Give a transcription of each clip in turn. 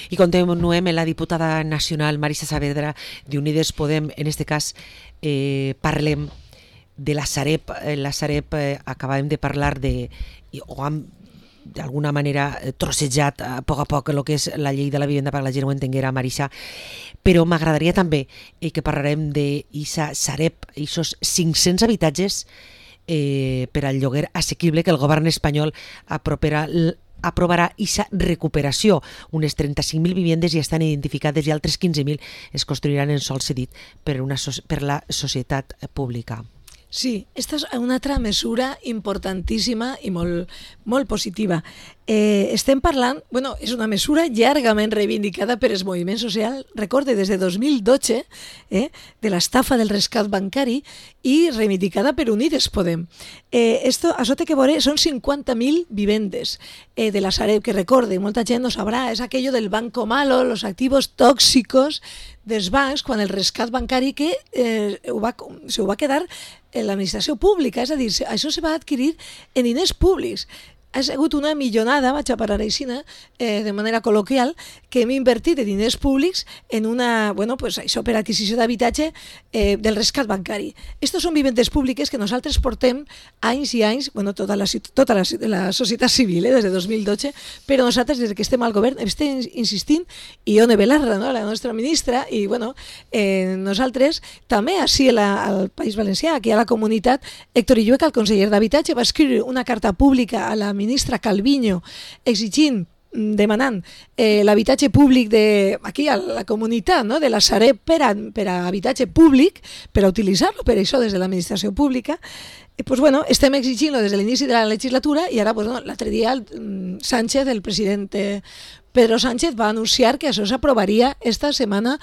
I continuem amb la diputada nacional Marisa Saavedra d'Unides Podem. En este cas parlem de la Sareb. La Sareb acabàvem de parlar o hem d'alguna manera trossejat a poc el que és la llei de la vivenda per a la gent ho entenguera, Marisa, però m'agradaria també que parlarem d'Isa Sareb, aquests 500 habitatges per al lloguer assequible que el govern espanyol aprovarà aquesta recuperació. Unes 35.000 vivendes ja estan identificades i altres 15.000 es construiran en sòl cedit per la societat pública. Sí, esta és una altra mesura importantíssima i molt positiva. Estem parlant, és una mesura llargament reivindicada per el moviment social, recorde, des de 2012, de l'estafa del rescat bancari i reivindicada per Unides Podem. Això té que veure, són 50.000 vivendes de la Sareb, que recorde, molta gent no sabrà, és aquello del banco malo, los activos tóxicos dels bancs, quan el rescat bancari que se ho va quedar en l'administració pública, és a dir, això se va adquirir en diners públics. Ha sigut una millonada, vaig a parar així, de manera col·loquial, que hem invertit de diners públics en això per adquisició d'habitatge del rescat bancari. Estos són vivendes públiques que nosaltres portem anys i anys, tota la societat civil, des de 2012, però nosaltres, des que estem al govern, estem insistint, i Ione Belarra, la nostra ministra, i nosaltres també, així al País Valencià, aquí a la comunitat, Héctor Illueca, el conseller d'Habitatge, va escriure una carta pública a la ministra Calviño demanant l'habitatge públic aquí a la comunitat de la Sareb per a habitatge públic, per a utilitzar-lo per això des de l'administració pública. Estem exigint-lo des de l'inici de la legislatura i ara l'altre dia Sánchez, el president Pedro Sánchez, va anunciar que això s'aprovaria esta setmana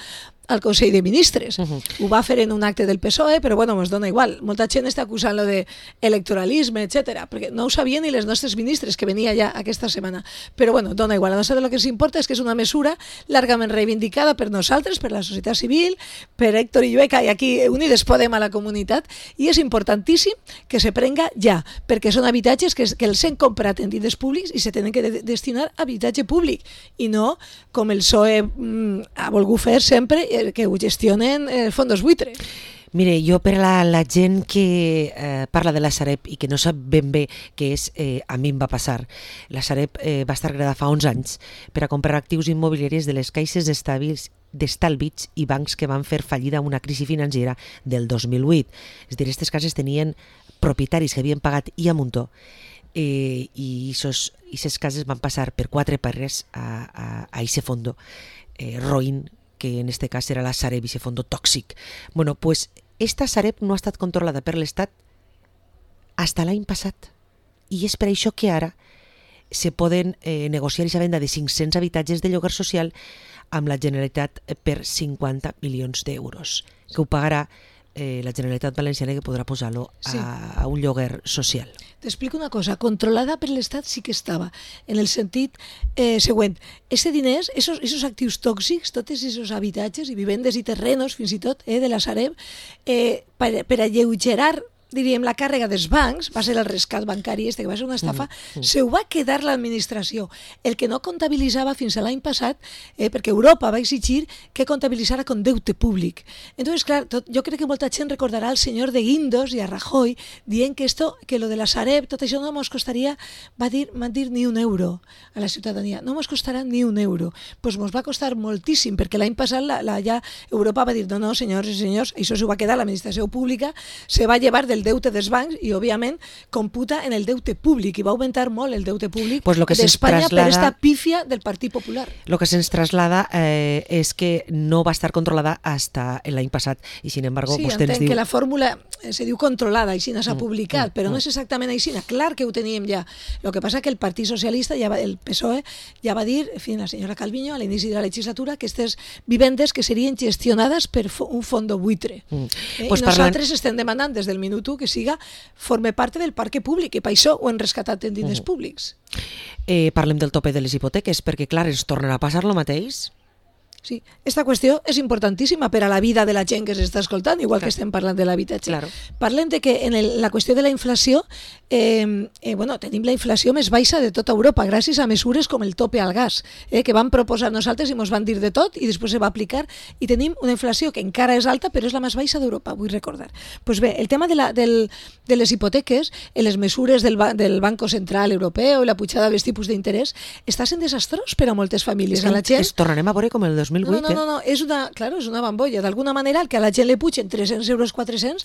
al Consell de Ministres. Ho va fer en un acte del PSOE, però ens dona igual. Molta gent està acusant-lo d'electoralisme, etc., perquè no ho sabien ni les nostres ministres, que venia ja aquesta setmana. Però dona igual. A nosaltres el que ens importa és que és una mesura largament reivindicada per nosaltres, per la societat civil, per Héctor Illueca i aquí Unides Podem a la comunitat, i és importantíssim que se prenga ja, perquè són habitatges que els hem comprat en diners públics i se tenen que destinar a habitatge públic, i no com el PSOE ha volgut fer sempre, que ho gestionen fondos buitre. Mire, jo per a la gent que parla de la Sareb i que no sap ben bé què és, a mi em va passar. La Sareb va estar creada fa 11 anys per a comprar actius immobiliaris de les caixes d'estalvis i bancs que van fer fallida una crisi financera del 2008. És a dir, aquestes cases tenien propietaris que havien pagat i a muntó, i aquestes cases van passar per 4 pares a ese fondo roïn, que en este cas era la Sareb, ese fondo tòxic. Esta Sareb no ha estat controlada per l'Estat fins l'any passat, i és per això que ara se poden negociar aquesta venda de 500 habitatges de lloguer social amb la Generalitat per 50 milions d'euros, que ho pagarà la Generalitat Valenciana, que podrà posar-lo a un lloguer social. T'explico una cosa, controlada per l'Estat sí que estava, en el sentit següent. Aquests diners, aquests actius tòxics, tots aquests habitatges i vivendes i terrenos, fins i tot, de la Sareb, per alleugerar, diríem, la càrrega dels bancs, va ser el rescat bancari que va ser una estafa, se ho va quedar l'administració. El que no comptabilitzava fins a l'any passat, perquè Europa va exigir que comptabilitzara com deute públic. Entonces, clar, jo crec que molta gent recordarà al senyor de Guindos i a Rajoy dient que lo de la Sareb, tot això no ens costaria, van dir ni un euro a la ciutadania, no ens costarà ni un euro. Doncs ens va costar moltíssim, perquè l'any passat ja Europa va dir no, senyors i senyors, això s'ho va quedar l'administració pública, se va llevar del deute dels bancs i, òbviament, computa en el deute públic, i va augmentar molt el deute públic d'Espanya per aquesta pífia del Partit Popular. El que se'ns traslada és que no va estar controlada fins l'any passat, i sin embargo vostè ens diu... Sí, entenc que la fórmula se diu controlada, així s'ha publicat, però no és exactament així, clar que ho teníem ja. El que passa que el Partit Socialista, el PSOE, ja va dir, en fi, la senyora Calviño, a l'inici de la legislatura, que aquestes vivendes que serien gestionades per un fondo buitre. I nosaltres estem demanant des del minut que forme part del parc públic, i per això ho hem rescatat en diners públics. Parlem del tope de les hipoteques, perquè clar, ens tornarà a passar el mateix? Sí, esta qüestió és importantíssima per a la vida de la gent que s'està escoltant, igual que estem parlant de l'habitatge. Claro. Parlem de que en la qüestió de la inflació, tenim la inflació més baixa de tota Europa, gràcies a mesures com el tope al gas, que vam proposar nosaltres i ens van dir de tot i després se va aplicar, i tenim una inflació que encara és alta, però és la més baixa d'Europa, vull recordar. Pues bé, el tema de les hipoteques, les mesures del Banco Central Europeu i la pujada dels tipus d'interès, està sent desastrós per a moltes famílies. Es tornarem a veure com el 2008. No, és una bambolla. D'alguna manera, el que a la gent li pugen 300 euros, 400,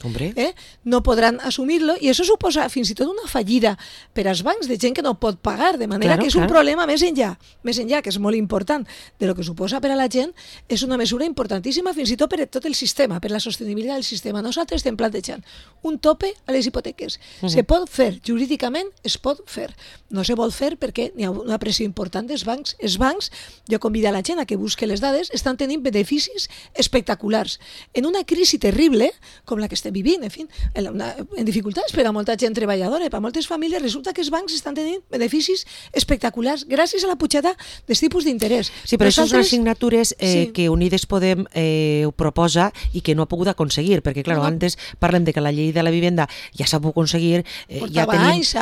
no podran assumir-lo, i això suposa fins i tot una fallida per als bancs de gent que no pot pagar, de manera que és un problema més enllà, que és molt important de lo que suposa per a la gent. És una mesura importantíssima fins i tot per a tot el sistema, per la sostenibilitat del sistema. Nosaltres estem plantejant un tope a les hipoteques. Se pot fer, jurídicament es pot fer. No se vol fer perquè hi ha una pressió important dels bancs. Els bancs, jo convido a la gent a que busque les dades, estan tenint beneficis espectaculars. En una crisi terrible, com la que estem vivint, en dificultats per a molta gent treballadora, per a moltes famílies, resulta que els bancs estan tenint beneficis espectaculars gràcies a la pujada dels tipus d'interès. Sí, però això són assignatures que Unides Podem ho proposa i que no ha pogut aconseguir, perquè, clar, antes parlem de que la llei de la vivenda ja s'ha pogut aconseguir. Portava anys.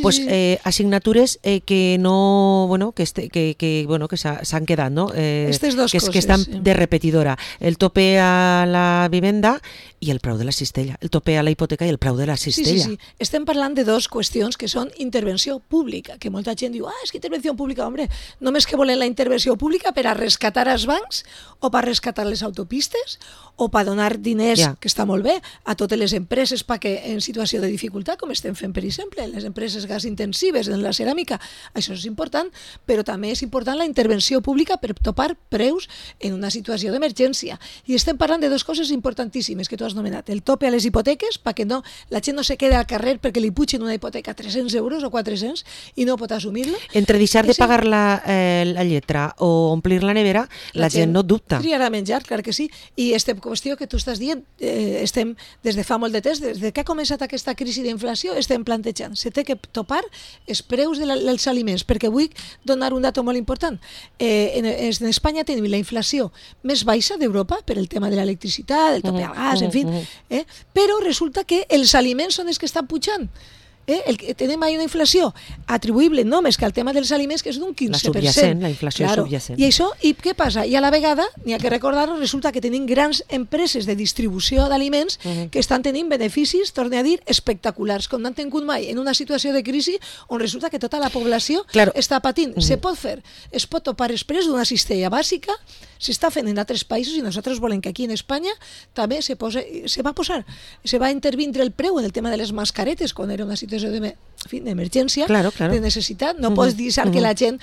Pues assignatures que no, que s'han quedat, no? Que estan de repetidora. El tope a la vivenda i el preu de la cistella. El tope a la hipoteca i el preu de la cistella. Sí. Estem parlant de dues qüestions que són intervenció pública, que molta gent diu, és que intervenció pública, home, només que volen la intervenció pública per a rescatar els bancs o per a rescatar les autopistes o per donar diners, que està molt bé, a totes les empreses perquè en situació de dificultat, com estem fent, per exemple, les empreses gas intensives en la ceràmica. Això és important, però també és important la intervenció pública per topar preus en una situació d'emergència. I estem parlant de dues coses importantíssimes que tu has nomenat. El tope a les hipoteques, perquè la gent no se queda al carrer perquè li pugen una hipoteca 300 euros o 400 i no pot assumir-lo. Entre deixar de pagar la lletra o omplir la nevera, la gent no dubta. Triarà menjar, clar que sí. I aquesta qüestió que tu estàs dient, estem des de fa molt de temps, des que ha començat aquesta crisi d'inflació, estem plantejant. Se té que topar els preus dels aliments, perquè vull donar un dato molt important. En Espanya tenim la inflació més baixa d'Europa per el tema de l'electricitat, el tope al gas, en fi, però resulta que els aliments són els que estan pujant. Tenim ahí una inflació atribuïble només que al tema dels aliments, que és d'un 15%. La inflació subjacent. I això, i què passa? I a la vegada, n'hi ha que recordar-ho, resulta que tenim grans empreses de distribució d'aliments que estan tenint beneficis, torne a dir, espectaculars, com no han tingut mai en una situació de crisi on resulta que tota la població està patint. Se pot fer, es pot topar els preus d'una cistella bàsica, s'està fent en altres països i nosaltres volem que aquí en Espanya també se va intervindre el preu en el tema de les mascaretes quan era una situació d'emergència, de necessitat. No pots deixar que la gent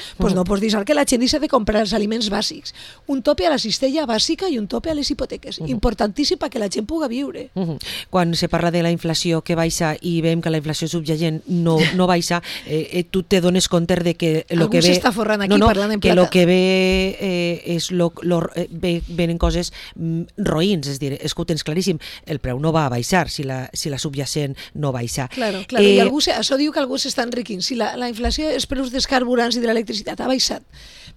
deixa de comprar els aliments bàsics. Un tope a la cistella bàsica i un tope a les hipoteques. Importantíssim perquè la gent pugui viure. Quan se parla de la inflació que baixa i veiem que la inflació subjacent no baixa, tu te dones compte de que el que ve... Algú s'està forrant aquí parlant en plata. Que el que ve venen coses roïns, és dir, és que ho tens claríssim, el preu no va a baixar si la subjacent no baixa. Claro, i això diu que algú s'està enriquint. Si la inflació, els preus dels carburants i de l'electricitat ha baixat,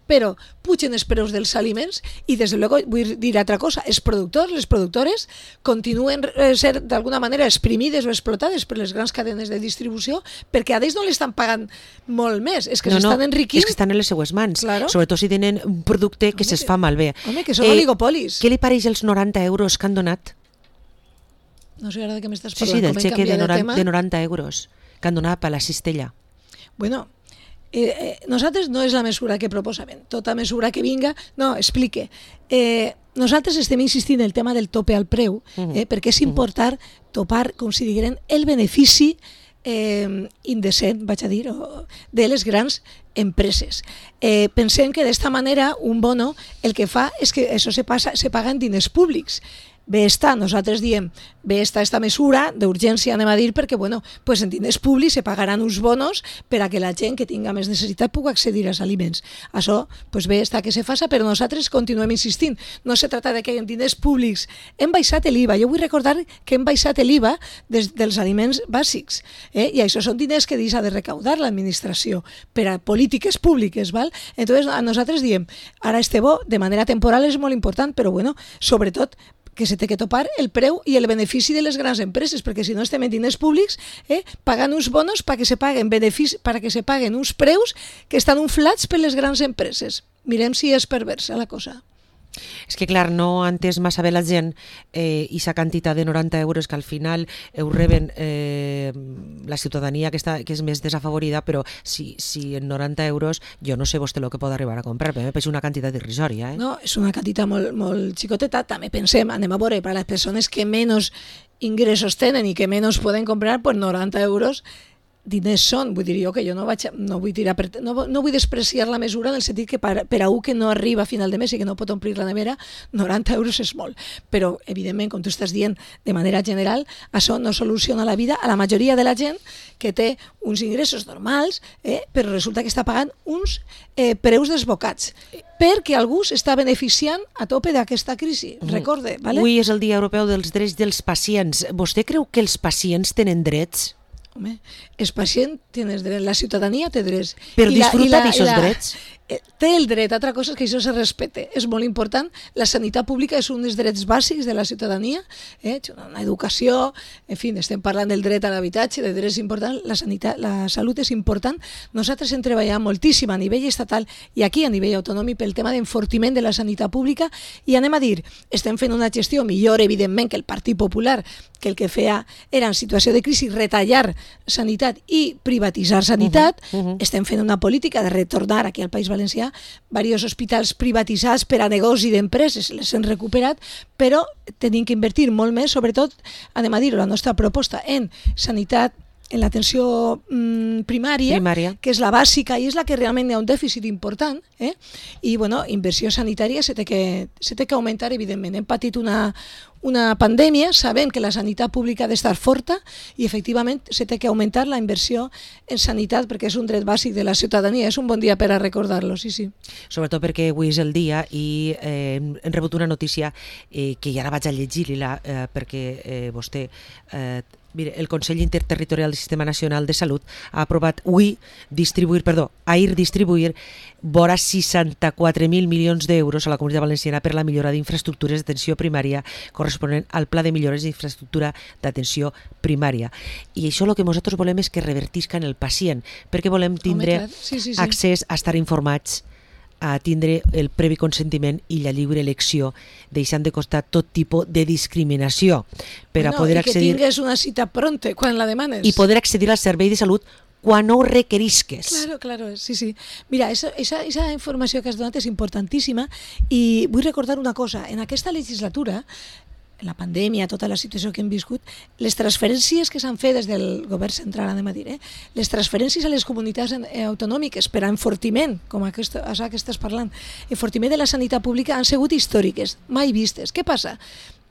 però pugen els preus dels aliments i, des de luego, vull dir altra cosa, els productors, les productores continuen ser d'alguna manera exprimides o explotades per les grans cadenes de distribució perquè a ells no l'estan pagant molt més, és que s'estan enriquint. És que estan en les seues mans, sobretot si tenen un producte que se'ls fa malbé. Home, que són oligopolis. Què li pareix els 90 euros que han donat? No sé ara de què m'estàs parlant. Sí, del xeque de 90 euros que han donat per la cistella. Bueno, nosaltres no és la mesura que proposem. Tota mesura que vinga, no, explique. Nosaltres estem insistint en el tema del tope al preu, perquè és important topar, com si digueren, el benefici indecent, vaig a dir, de les grans empreses. Pensem que d'esta manera un bono el que fa és que això se paga en diners públics. bé està, nosaltres diem, bé està esta mesura d'urgència, anem a dir, perquè, bueno, pues en diners públics se pagaran uns bonos per a que la gent que tinga més necessitat pugui accedir als aliments. Això, pues bé està que se faça, però nosaltres continuem insistint. No se trata de que en diners públics hem baixat l'IVA. Jo vull recordar que hem baixat l'IVA dels aliments bàsics, i això són diners que deixa de recaudar l'administració per a polítiques públiques, val? Entonces, nosaltres diem, ara este bo, de manera temporal, és molt important, però bueno, sobretot que se té que topar el preu i el benefici de les grans empreses, perquè si no estem en diners públics, pagant uns bonos perquè se paguen uns preus que estan inflats per les grans empreses. Mirem si és perversa la cosa. És que, clar, no ha entès massa bé la gent aquesta quantitat de 90 euros que al final ho reben la ciutadania que és més desafavorida, però si en 90 euros jo no sé vostè el que pot arribar a comprar, però és una quantitat irrisòria. No, és una quantitat molt xicoteta. També pensem, anem a veure, per a les persones que menys ingressos tenen i que menys poden comprar, pues 90 euros diners són, vull dir jo que jo no vull despreciar la mesura en el sentit que per a un que no arriba a final de mes i que no pot omplir la nevera, 90 euros és molt, però evidentment, com tu estàs dient, de manera general, això no soluciona la vida a la majoria de la gent que té uns ingressos normals, però resulta que està pagant uns preus desbocats, perquè algú s'està beneficiant a tope d'aquesta crisi, recorde, ¿vale? Avui és el Dia Europeu dels Drets dels Pacients. Vostè creu que els pacients tenen drets? Home, el pacient té drets, la ciutadania té drets. Per disfrutar d'aquests drets? Té el dret, altra cosa és que això se respecte. És molt important. La sanitat pública és un dels drets bàsics de la ciutadania. Una educació, en fi, estem parlant del dret a l'habitatge, de drets importants. La salut és important. Nosaltres hem treballat moltíssim a nivell estatal i aquí a nivell autonòmic pel tema d'enfortiment de la sanitat pública i anem a dir, estem fent una gestió millor, evidentment, que el Partit Popular, que el que feia era en situació de crisi retallar sanitat i privatitzar sanitat. Estem fent una política de retornar aquí al País Valencià diversos hospitals privatitzats per a negoci d'empreses, les hem recuperat, però tenim que invertir molt més, sobretot, anem a dir, la nostra proposta en sanitat, en l'atenció primària, que és la bàsica i és la que realment hi ha un dèficit important, i bueno, inversió sanitària se té que augmentar, evidentment. Hem patit una pandèmia, sabem que la sanitat pública ha d'estar forta i efectivament se té que augmentar la inversió en sanitat perquè és un dret bàsic de la ciutadania. És un bon dia per a recordar-lo, sí. Sobretot perquè avui és el dia i hem rebut una notícia que ja la vaig a llegir-la perquè vostè... Mire, el Consell Interterritorial del Sistema Nacional de Salut ha aprovat ahir distribuir vora 64.000 milions d'euros a la Comunitat Valenciana per la millora d'infraestructures d'atenció primària corresponent al Pla de Millores d'Infraestructura d'atenció primària. I això el que nosaltres volem és que revertisca en el pacient, perquè volem tindre accés a estar informats, a tindre el previ consentiment i la lliure elecció, deixant de costar tot tipus de discriminació per a poder accedir... I que tingues una cita pronta quan la demanes. I poder accedir al servei de salut quan ho requerisques. Claro, sí. Mira, esa informació que has donat és importantíssima i vull recordar una cosa. En aquesta legislatura, la pandèmia, tota la situació que hem viscut, les transferències que s'han fet des del govern central, anem a dir, les transferències a les comunitats autonòmiques per a enfortiment, com això que estàs parlant, enfortiment de la sanitat pública han sigut històriques, mai vistes. Què passa?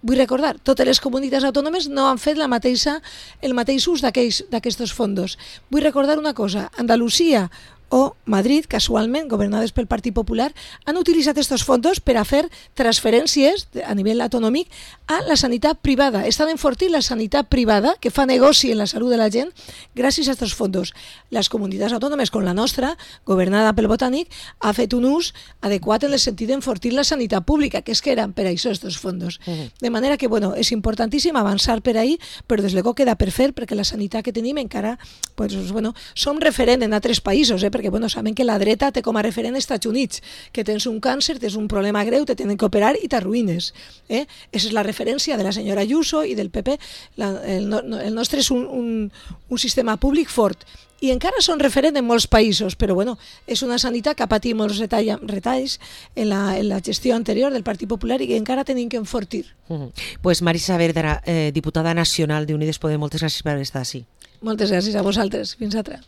Vull recordar, totes les comunitats autònomes no han fet el mateix ús d'aquests fons. Vull recordar una cosa, Andalusia o Madrid, casualment, governades pel Partit Popular, han utilitzat aquests fons per a fer transferències a nivell autonòmic a la sanitat privada. Estan enfortint la sanitat privada, que fa negoci en la salut de la gent, gràcies a aquests fons. Les comunitats autònomes, com la nostra, governada pel Botànic, ha fet un ús adequat en el sentit d'enfortir la sanitat pública, que és que eren per a això aquests fons. De manera que, bueno, és importantíssim avançar per ahí, però des de luego queda per fer, perquè la sanitat que tenim encara, pues, bueno, som referent en altres països, perquè saben que la dreta té com a referent als Estats Units, que tens un càncer, tens un problema greu, te tenen que operar i t'arruïnes. Esa és la referència de la senyora Ayuso i del PP. El nostre és un sistema públic fort i encara són referent en molts països, però bueno, és una sanitat que ha patit molts retalls en la gestió anterior del Partit Popular i que encara tenim que enfortir. Pues Marisa Verdera, diputada nacional d'Unides Podem, moltes gràcies per estar així. Moltes gràcies a vosaltres. Fins altra.